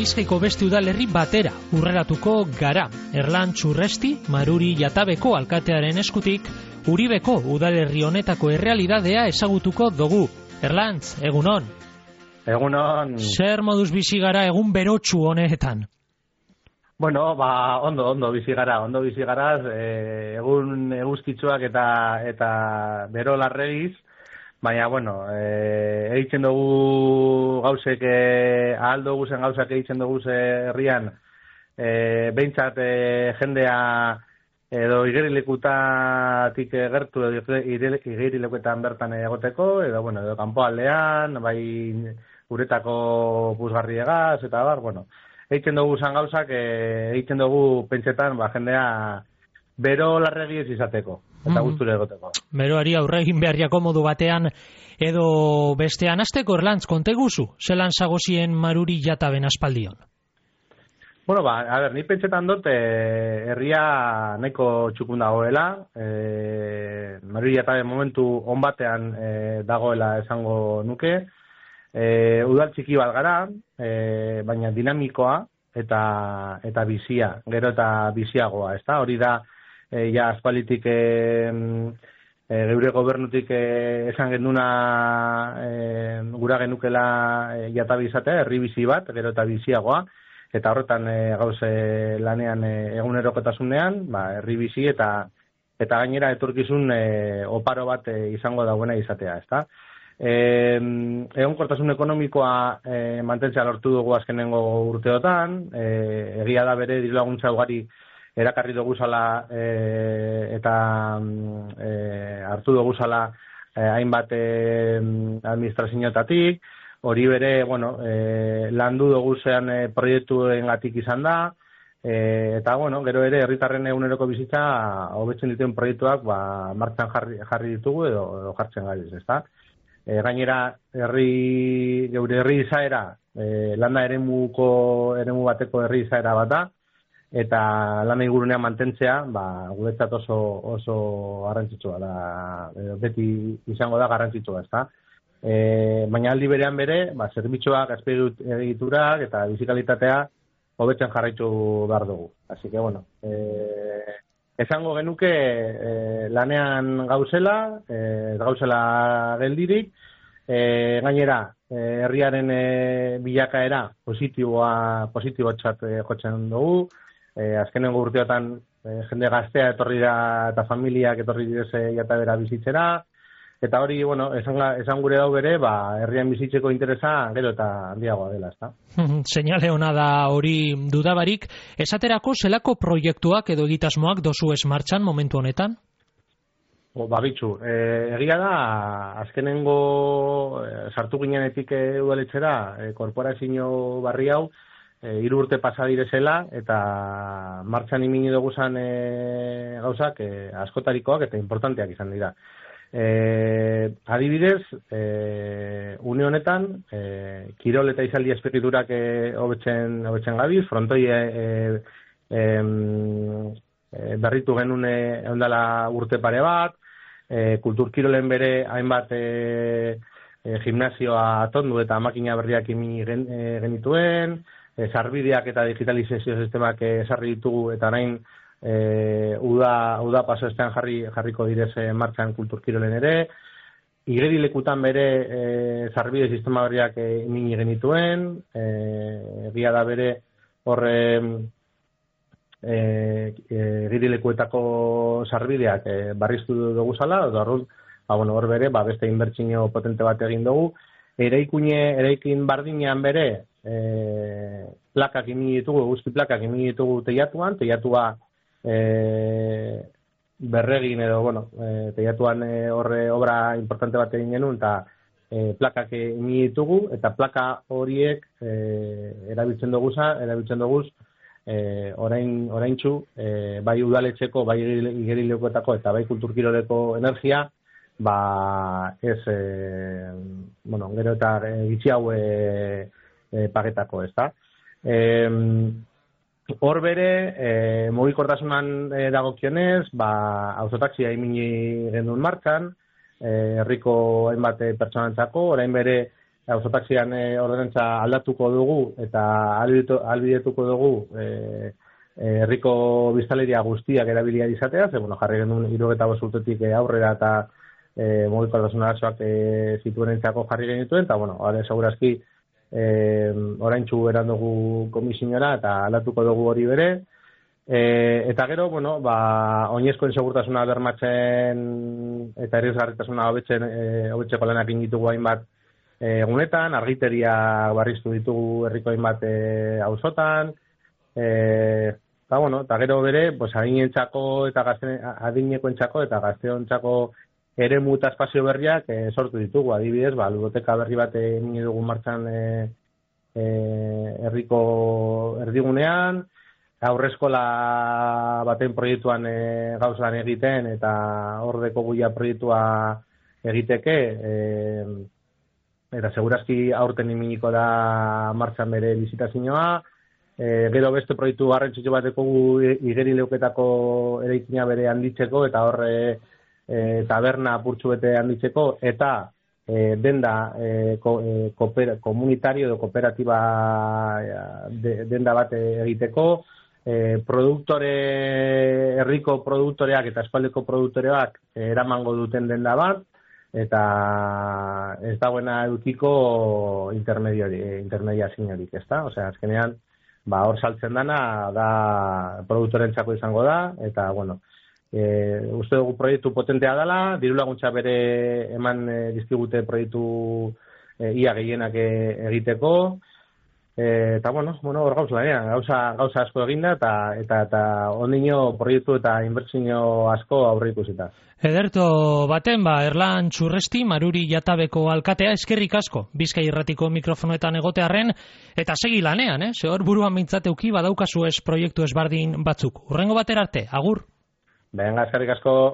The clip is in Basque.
Bizkaiko beste udalerri batera urreratuko gara. Erlantz Urresti, Maruri Jatabeko alkatearen eskutik, Uribeko udalerri honetako errealidadea ezagutuko dugu. Erlantz, egunon. Egunon. Zer moduz bizi gara egun berotsu honetan? Bueno, ondo bizi gara, egun eguzkitsuak eta bero larregiz, baina, bueno, egiten dugu gauzek, ahal dugu zen gauzak egiten dugu herrian, behintzat jendea edo igerilekutatik gertu, igerilekuetan bertan egoteko, edo kanpoaldean, bai uretako puzgarriegaz, eta bueno, egiten dugu zan gauzak, egiten dugu pentsetan jendea bero larregi ez izateko, eta gusture egoteko. Beroari aurre egin beharriako modu batean edo bestean. Hasteko, Erlantz, konteguzu, zelan zagozien Maruri Jataben aspaldion? Bueno, ni pentsetan dut, herria nahiko txukun dagoela, Maruri Jataben momentu on batean dagoela esango nuke, udal txiki bat gara, baina dinamikoa eta bizia, gero eta biziagoa, ezta? Hori da, ja aspalitik geure gobernutik esan genduna gura genukela Jatabe izatea, herri bizi bat, gero eta biziagoa, eta horretan gauze lanean egunerokotasunean, herri bizi eta gainera etorkizun oparo bat izango dauena izatea, ezta? Egonkortasun ekonomikoa mantentzea lortu dugu azkenengo urteotan, egia da bere dirulaguntza ugari erakarri dugu zala eta hartu dugu zala hainbat administrazioetatik, hori bere, landu dugu zean proiektuengatik izan da, eta, gero ere herritarren eguneroko bizitza hobetzen dituen proiektuak martxan jarri ditugu edo jartzen gaiz, ezta? Gainera, geure herri izaera, landa eremu bateko herri izaera bat da, eta lana ingurunean mantentzea, guretzat oso garrantzitsua da, beti izango da garrantzitsua, ezta? Baina aldi berean bere, zerbitzuak, azpiegiturak eta bizikalitatea hobetzen jarraitu behar dugu. Así que, esango genuke lanean gauzela geldirik, gainera herriaren bilakaera positibotzat jotzen dugu, azkenengo urteotan jende gaztea etorri da eta familiak etorri direze Jatabera bizitzera, eta hori, esan gure dau bere, herrian bizitzeko interesa gero eta handiagoa dela, ezta? Seinale ona da hori dudabarik. Esaterako zelako proiektuak edo egitasmoak dozu ez martxan momentu honetan? Bitxu, egia da, azkenengo sartu ginenetik udaletxera, korporazio barri hau, 3 urte pasa direzela, eta martxan imini dugu zan gauzak askotarikoak eta importanteak izan dira. Adibidez, une honetan, kirol eta izaldi azpegiturak hobetzen gabiz, frontoi berritu genuen eundala urte pare bat, kultur kirolen bere hainbat gimnasioa atondu eta makina berriak imini genituen, sarbideak eta digitalizazio sistemak esarri ditugu eta orain uda paso estean jarriko direz martxan kultur kirolen ere, igerilekutan bere sarbide sistema berriak imini genituen, egia da bere horre igerilekuetako sarbideak barriztu dugu zala, hor bere, beste inbertsio potente bat egin dugu, eraikin bardinean bere plakak imini ditugu, guzti plakak imini ditugu teiatua berregin edo, teiatuan horre obra importante bat egin genuen, eta plakak imini ditugu, eta plaka horiek erabiltzen duguz oraintzu, bai udaletxeko, bai igerilekuetako eta bai kulturkiroleko energia, ez, gero eta gitzi hau pagetako, ezta? Hor bere, mugikortasunan dagokionez, autotaxia imini genuen martxan, herriko hainbat pertsonantzako, orain bere auzotaxian ordenantza aldatuko dugu eta ahalbidetuko dugu herriko biztanleria guztiak erabilia izatea, ze bueno, jarri genuen 75 urtetik aurrera eta mugikortasun arazoak zituenentzako jarri genituen, eta bueno, segurazki oraintsu erandugu komisionera eta aldatuko dugu hori bere. Eta gero, bueno, oinezkoen segurtasuna bermatzen eta errezgarritasuna hobetzeko lanak egin ditugu hainbat egunetan, argiteria barriztu ditugu herriko hainbat auzotan, eta bueno, eta gero bere, pues adinentzako eta adinekoentzako eta gazteontzako eremu eta espazio berriak sortu ditugu, adibidez, ludoteka berri bat egin dugu martxan herriko erdigunean, aurreskola baten proiektuan gauzan egiten eta hordeko guia proiektua egiteke, eta segurazki aurten iminiko da martxan bere bizitazioa, gero beste proiektu garrantzitsu bateko igeri leuketako eraikina bere handitzeko eta horre taberna apurtxu bete handitzeko eta denda komunitario edo kooperatiba denda bat egiteko, herriko produktoreak eta espaldeko produktoreak eramango duten denda bat, eta ez dagoena edukiko intermediaziorik, ezta? Osea, azkenean, hor saltzen dana da produktorentzako izango da, eta, bueno, uste dugu proiektu potentea dela, diru laguntza bere eman dizkigute proiektu ia gehienak egiteko, eta bueno, hor gauza asko eginda eta ondino proiektu eta inbertsio asko aurre ikusita. Ederto baten, Erlan Txurresti, Maruri Jatabeko alkatea, eskerrik asko, Bizkai Irratiko mikrofonoetan egotearren, eta segi lanean, ze hor buruan mintzateuki badaukazu proiektu ezbardin batzuk. Urrengo batera arte, agur! Venga, eskerrik asko!